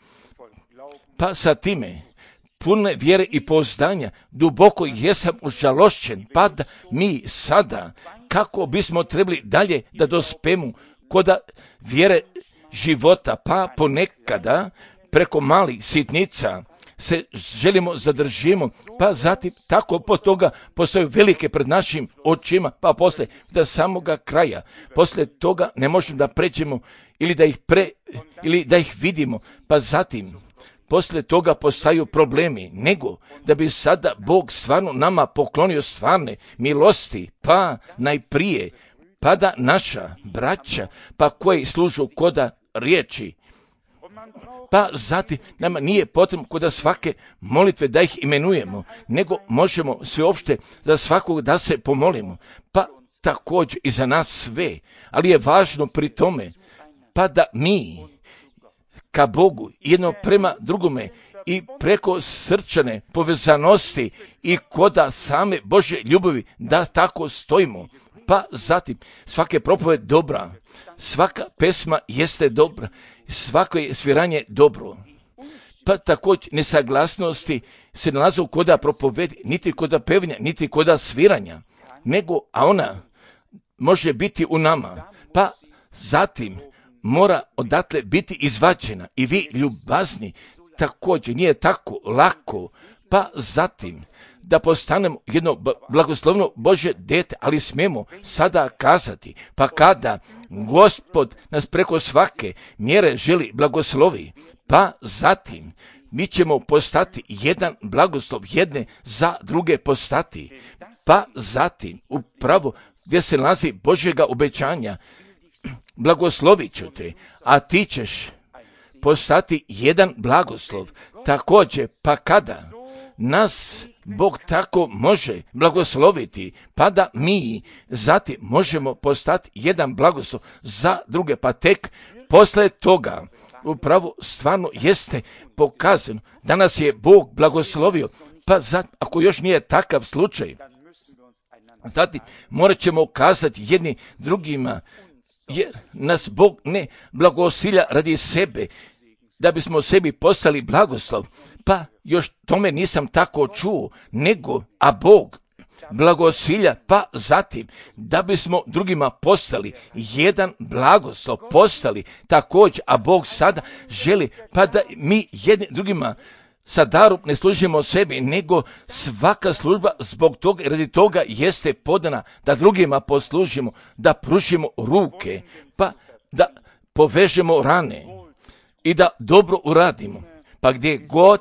pa sa time pune vjere i pouzdanja, duboko jesam ožalošćen, pa da mi sada, kako bismo trebali dalje da dospemu koda vjere života, pa ponekada preko malih sitnica se želimo zadržimo, pa zatim tako po toga postoje velike pred našim očima, pa posle da samoga kraja, posle toga ne možemo da pređemo ili da ih pre, ili da ih vidimo, pa zatim posle toga postaju problemi, nego da bi sada Bog stvarno nama poklonio stvarne milosti, pa najprije, pa da naša braća, pa koji služu koda riječi, pa zatim nama nije potrebno kod svake molitve da ih imenujemo, nego možemo sveopšte za svakog da se pomolimo, pa također i za nas sve, ali je važno pri tome, pa da mi ka Bogu jedno prema drugome i preko srčane povezanosti i koda same Božje ljubavi da tako stojimo. Pa zatim svake propoved dobra, svaka pesma jeste dobra, svako je sviranje dobro. Pa također nesaglasnosti se nalaze koda propovedi, niti koda pevanja, niti koda sviranja, nego, a ona može biti u nama. Pa zatim mora odatle biti izvađena i vi ljubazni također nije tako lako, pa zatim da postanemo jedno blagoslovno Božje dete, ali smemo sada kazati, pa kada Gospod nas preko svake mjere želi blagoslovi, pa zatim mi ćemo postati jedan blagoslov, jedne za druge postati, pa zatim upravo gdje se nalazi Božjega obećanja, blagoslovit ću te, a ti ćeš postati jedan blagoslov. Također, pa kada nas Bog tako može blagosloviti, pa da mi zatim možemo postati jedan blagoslov za druge, pa tek posle toga upravo stvarno jeste pokazano da nas je Bog blagoslovio, pa zatim, ako još nije takav slučaj, zatim morat ćemo kazati jedni drugima, jer nas Bog ne blagosilja radi sebe, da bismo sebi postali blagoslov, pa još tome nisam tako čuo, nego, a Bog blagosilja, pa zatim, da bismo drugima postali jedan blagoslov, postali također, a Bog sada želi, pa da mi jedni drugima sa darom ne služimo sebi, nego svaka služba zbog toga, radi toga jeste podana da drugima poslužimo, da pružimo ruke, pa da povežemo rane i da dobro uradimo, pa gdje god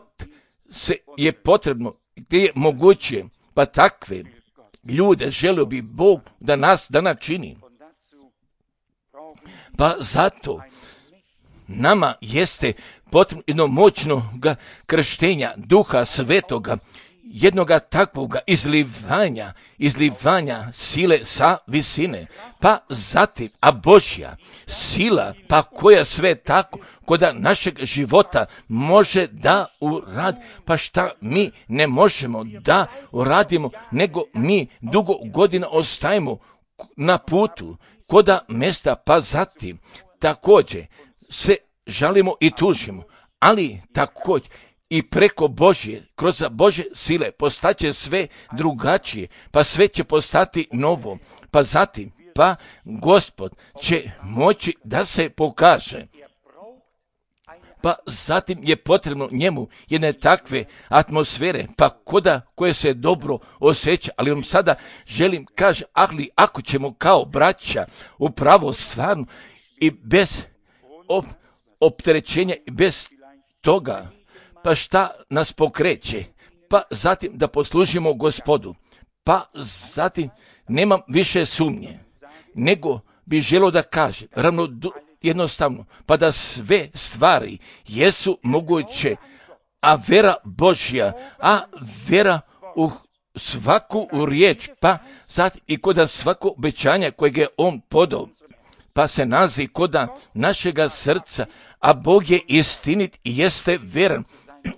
se je potrebno, gdje je moguće, pa takve ljude želio bi Bog da nas da načini. Pa zato nama jeste potrebno jedno moćno krštenja Duha Svetoga, jednoga takvoga izlivanja, izlivanja sile sa visine, pa zatim, a Božja sila, pa koja sve tako koda našeg života može da uradi, pa šta mi ne možemo da uradimo, nego mi dugo godina ostajemo na putu, koda mesta, pa zatim također se žalimo i tužimo, ali također i preko Božje, kroz Božje sile postaće sve drugačije, pa sve će postati novo, pa zatim, pa Gospod će moći da se pokaže. Pa zatim je potrebno njemu jedne takve atmosfere, pa koda koje se dobro osjeća, ali vam sada želim kaže, ali ako ćemo kao braća upravo stvarno i bez op- opterećenja i bez toga, pa šta nas pokreće? Pa zatim da poslužimo Gospodu. Pa zatim nemam više sumnje, nego bi želio da kaže ravno jednostavno, pa da sve stvari jesu moguće, a vera Božja, a vera u svaku u riječ, pa zatim i koda svako obećanja kojeg je On podao, pa se nazi koda našega srca, a Bog je istinit i jeste veran,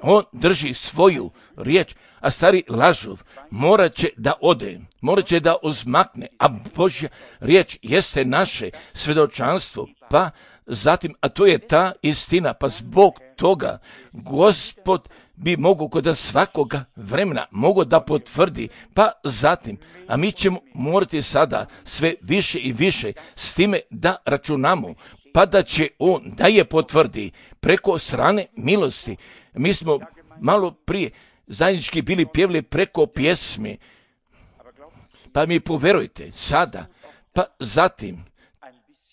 on drži svoju riječ, a stari lažov morat će da ode, morat će da uzmakne, a Božja riječ jeste naše svjedočanstvo, pa zatim, a to je ta istina, pa zbog toga Gospod bi mogao kod svakoga vremena mogao da potvrdi, pa zatim, a mi ćemo morati sada sve više i više s time da računamo, pa da će on da je potvrdi preko strane milosti. Mi smo malo prije zajednički bili pjevali preko pjesme, pa mi poverujte sada, pa zatim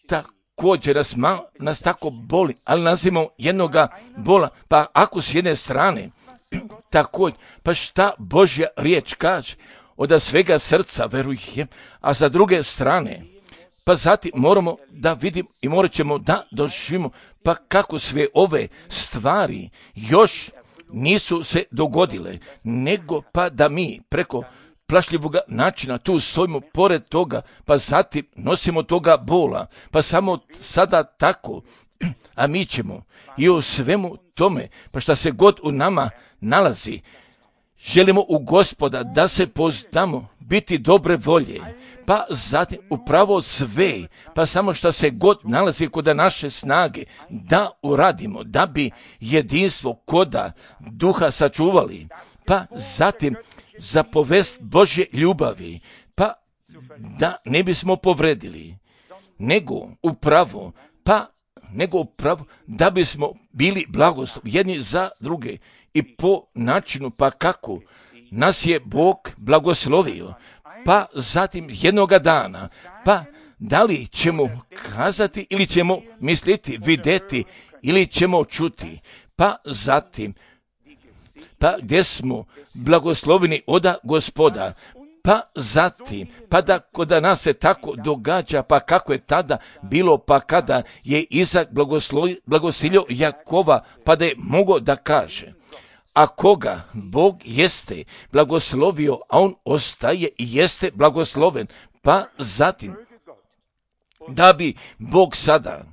također nas, malo, nas tako boli, ali nas imamo jednoga bola, pa ako s jedne strane također, pa šta Božja riječ kaže, od svega srca verujem, a sa druge strane, pa zatim moramo da vidimo i morat ćemo da doživimo, pa kako sve ove stvari još nisu se dogodile, nego pa da mi preko plašljivog načina tu stojimo pored toga, pa zatim nosimo toga bola, pa samo sada tako, a mi ćemo i u svemu tome, pa šta se god u nama nalazi, želimo u Gospoda da se poznamo, biti dobre volje, pa zatim upravo sve, pa samo što se god nalazi kod naše snage, da uradimo, da bi jedinstvo koda duha sačuvali, pa zatim za povest Božje ljubavi, pa da ne bismo povredili, nego upravo, pa nego upravo da bismo bili blagoslov jedni za druge i po načinu pa kako nas je Bog blagoslovio, pa zatim jednoga dana, pa da li ćemo kazati ili ćemo misliti, videti ili ćemo čuti, pa zatim pa gdje smo blagosloveni oda Gospoda, pa zatim, pa da kod nas se tako događa, pa kako je tada bilo, pa kada je Izak blagosilio Jakova, pa da je mogao da kaže, a koga Bog jeste blagoslovio, a on ostaje i jeste blagosloven, pa zatim, da bi Bog sada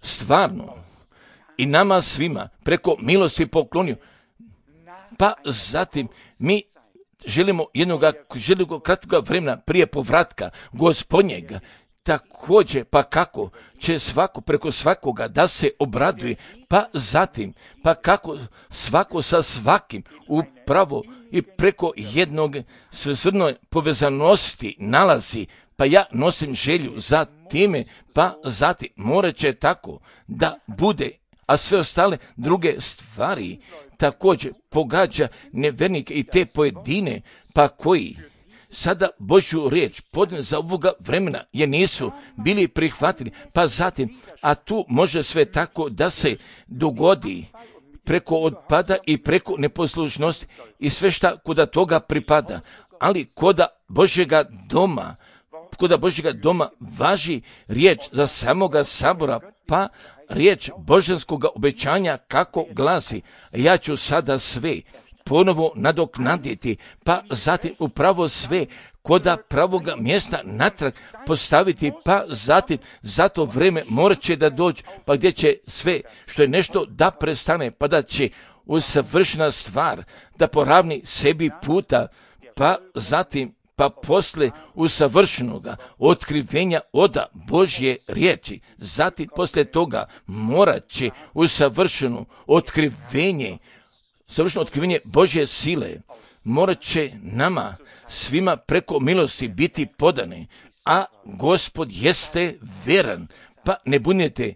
stvarno i nama svima preko milosti poklonio, pa zatim mi želimo jednog želimo kratkog vremena prije povratka Gospodnjega, također pa kako će svako preko svakoga da se obraduje, pa zatim pa kako svako sa svakim upravo i preko jednog svesrdne povezanosti nalazi, pa ja nosim želju za time, pa zatim morat će tako da bude, a sve ostale druge stvari također pogađa nevernike i te pojedine, pa koji sada Božju riječ podne za ovoga vremena je nisu bili prihvatili, pa zatim, a tu može sve tako da se dogodi preko otpada i preko neposlušnosti i sve šta koda toga pripada, ali koda Božjega doma, koda Božjega doma važi riječ za samoga sabora, pa riječ božanskog obećanja kako glasi, ja ću sada sve ponovo nadoknaditi, pa zatim upravo sve koda pravoga mjesta natrag postaviti, pa zatim za to vrijeme morat će da dođe, pa gdje će sve što je nešto da prestane, pa da će usavršena stvar da poravni sebi puta, pa zatim pa posle usavršenoga otkrivenja oda Božje riječi, zatim posle toga morat će usavršeno otkrivenje, savršeno otkrivenje Božje sile, morat će nama svima preko milosti biti podane, a Gospod jeste veran, pa ne budete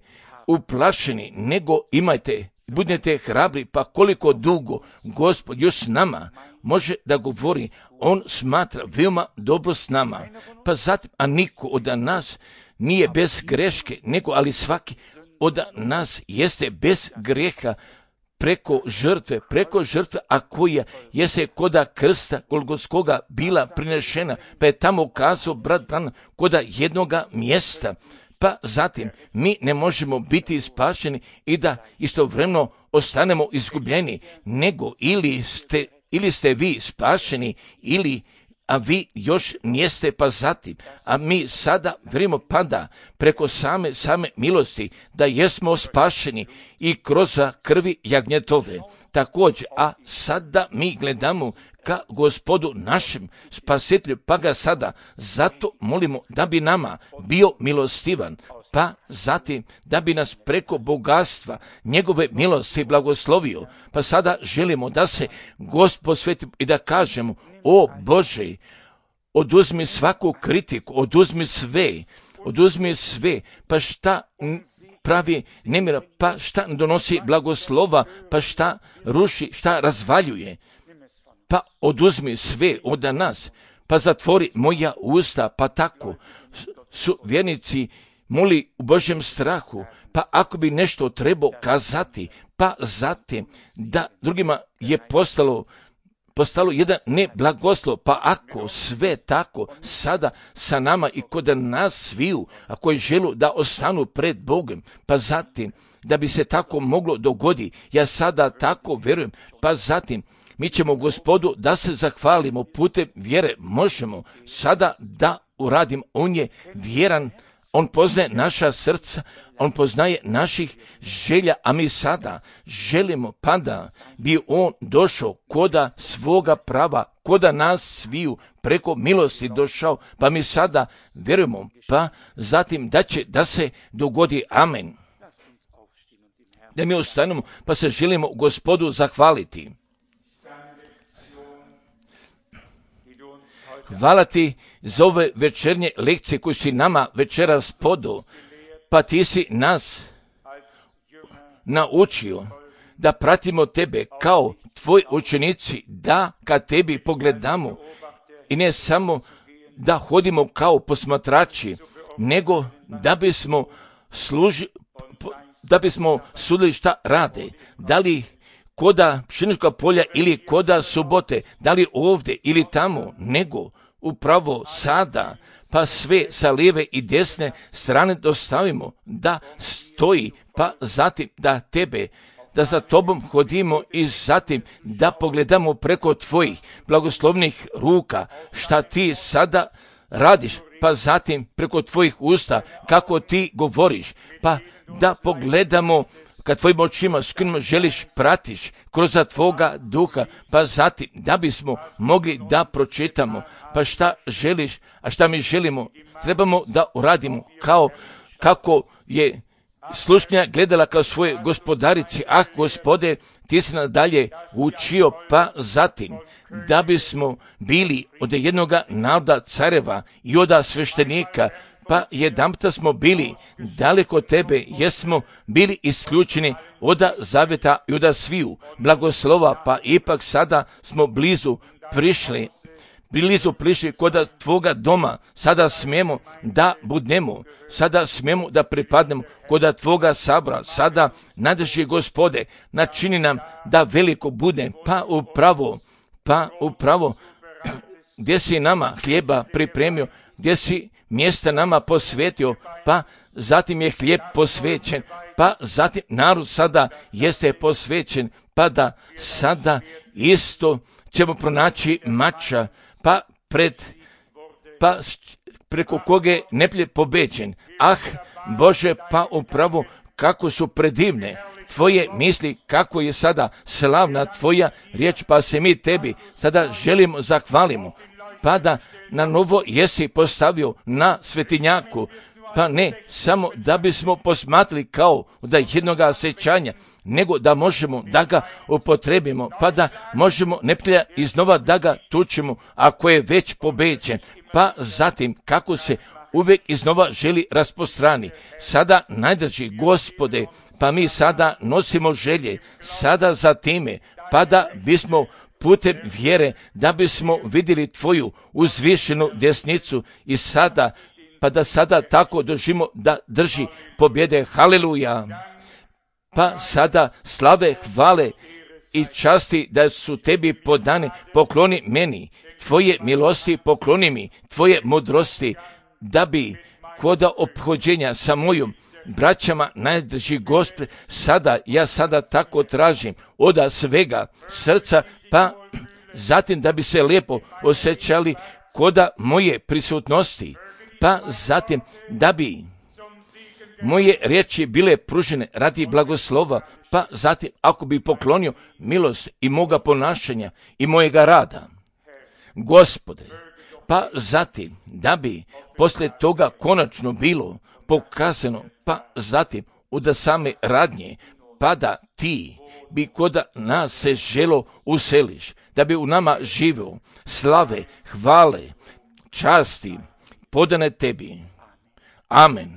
uplašeni, nego imajte, budete hrabri, pa koliko dugo Gospod još s nama može da govori, on smatra veoma dobro s nama, pa zatim, a niko od nas nije bez greške, nego ali svaki od nas jeste bez greha preko žrtve, preko žrtve, a koja je se koda krsta Golgotskoga bila prinešena, pa je tamo kazao brat Branham koda jednoga mjesta, pa zatim mi ne možemo biti spašeni i da istovremeno ostanemo izgubljeni, nego ili ste, ili ste vi spašeni, ili a vi još nijeste, pa zatim, a mi sada vjerujemo pada preko same, same milosti da jesmo spašeni i kroz krvi jagnjetove. također, a sada mi gledamo ka Gospodu našem spasitelju, pa ga sada zato molimo da bi nama bio milostivan, pa zatim da bi nas preko bogatstva njegove milosti blagoslovio. Pa sada želimo da se Gospod sveti i da kažemo: o Bože, oduzmi svaku kritiku, oduzmi sve, oduzmi sve, pa šta pravi nemira, pa šta donosi blagoslova, pa šta ruši, šta razvaljuje, pa oduzmi sve od nas, pa zatvori moja usta, pa tako su vjernici moli u Božjem strahu, pa ako bi nešto trebao kazati, pa zatim da drugima je postalo postalo jedan neblagoslov, pa ako sve tako sada sa nama i kod nas sviju, a koji želu da ostanu pred Bogom, pa zatim da bi se tako moglo dogoditi, ja sada tako vjerujem, pa zatim mi ćemo Gospodu da se zahvalimo putem vjere, možemo sada da uradimo, on je vjeran, on poznaje naša srca, on poznaje naših želja, a mi sada želimo pa da bi on došao koda svoga prava, koda nas sviju preko milosti došao, pa mi sada vjerujemo, pa zatim da će da se dogodi. Amen. Da mi ostanemo, pa se želimo Gospodu zahvaliti. Hvala ti za ove večernje lekcije koje si nama večeras podao, pa ti si nas naučio da pratimo tebe kao tvoji učenici, da kad tebi pogledamo i ne samo da hodimo kao posmatrači, nego da bismo služi, da bismo sudili šta rade, da li koda pšenička polja ili koda subote, da li ovdje ili tamo, nego upravo sada, pa sve sa lijeve i desne strane dostavimo da stoji, pa zatim da tebe, da za tobom hodimo i zatim da pogledamo preko tvojih blagoslovnih ruka šta ti sada radiš, pa zatim preko tvojih usta kako ti govoriš, pa da pogledamo kad tvojim očima s kojima želiš pratiš kroz tvoga duha, pa zatim da bismo mogli da pročitamo, pa šta želiš, a šta mi želimo, trebamo da uradimo kao kako je slušnja gledala kao svoje gospodarici, ah Gospode, ti si nadalje učio, pa zatim da bismo bili od jednoga naroda careva i od sveštenika, pa jedanputa smo bili daleko od tebe, jer smo bili isključeni od zaveta i od sviju blagoslova, pa ipak sada smo blizu prišli, blizu prišli kod tvoga doma, sada smijemo da budemo, sada smijemo da pripadnemo kod tvoga sabora, sada nadrži Gospode, načini nam da veliko bude, pa upravo, pa upravo, gdje si nama hljeba pripremio, gdje si mjesta nama posvetio, pa zatim je hljeb posvećen, pa zatim narod sada jeste posvećen, pa da sada isto ćemo pronaći mača, pa pred, pa preko koga ne plje pobeđen. Ah, Bože, pa upravo kako su predivne tvoje misli, kako je sada slavna tvoja riječ, pa se mi tebi sada želimo zahvalimo, pa da na novo jesi postavio na svetinjaku, pa ne samo da bismo posmatrali kao da jednoga sećanja, nego da možemo da ga upotrebimo, pa da možemo neprijatelja iznova da ga tučemo ako je već pobeđen, pa zatim kako se uvijek iznova želi raspostrani. Sada najdrži Gospode, pa mi sada nosimo želje, sada za time, pa da bismo putem vjere, da bismo vidjeli tvoju uzvišenu desnicu i sada, pa da sada tako držimo da drži pobjede. Haleluja! Pa sada slave, hvale i časti da su tebi podane, pokloni meni tvoje milosti, pokloni mi tvoje mudrosti, da bi koda ophođenja sa mojom braćama najdrži Gospod, sada, ja sada tako tražim od svega srca, pa zatim da bi se lijepo osjećali koda moje prisutnosti, pa zatim da bi moje riječi bile pružene radi blagoslova, pa zatim ako bi poklonio milost i moga ponašanja i mojega rada, Gospode, pa zatim da bi poslije toga konačno bilo pokazano, pa zatim od same radnje, pa da ti bi kod nas se želo useliš, da bi u nama živio slave, hvale, časti podane tebi. Amen.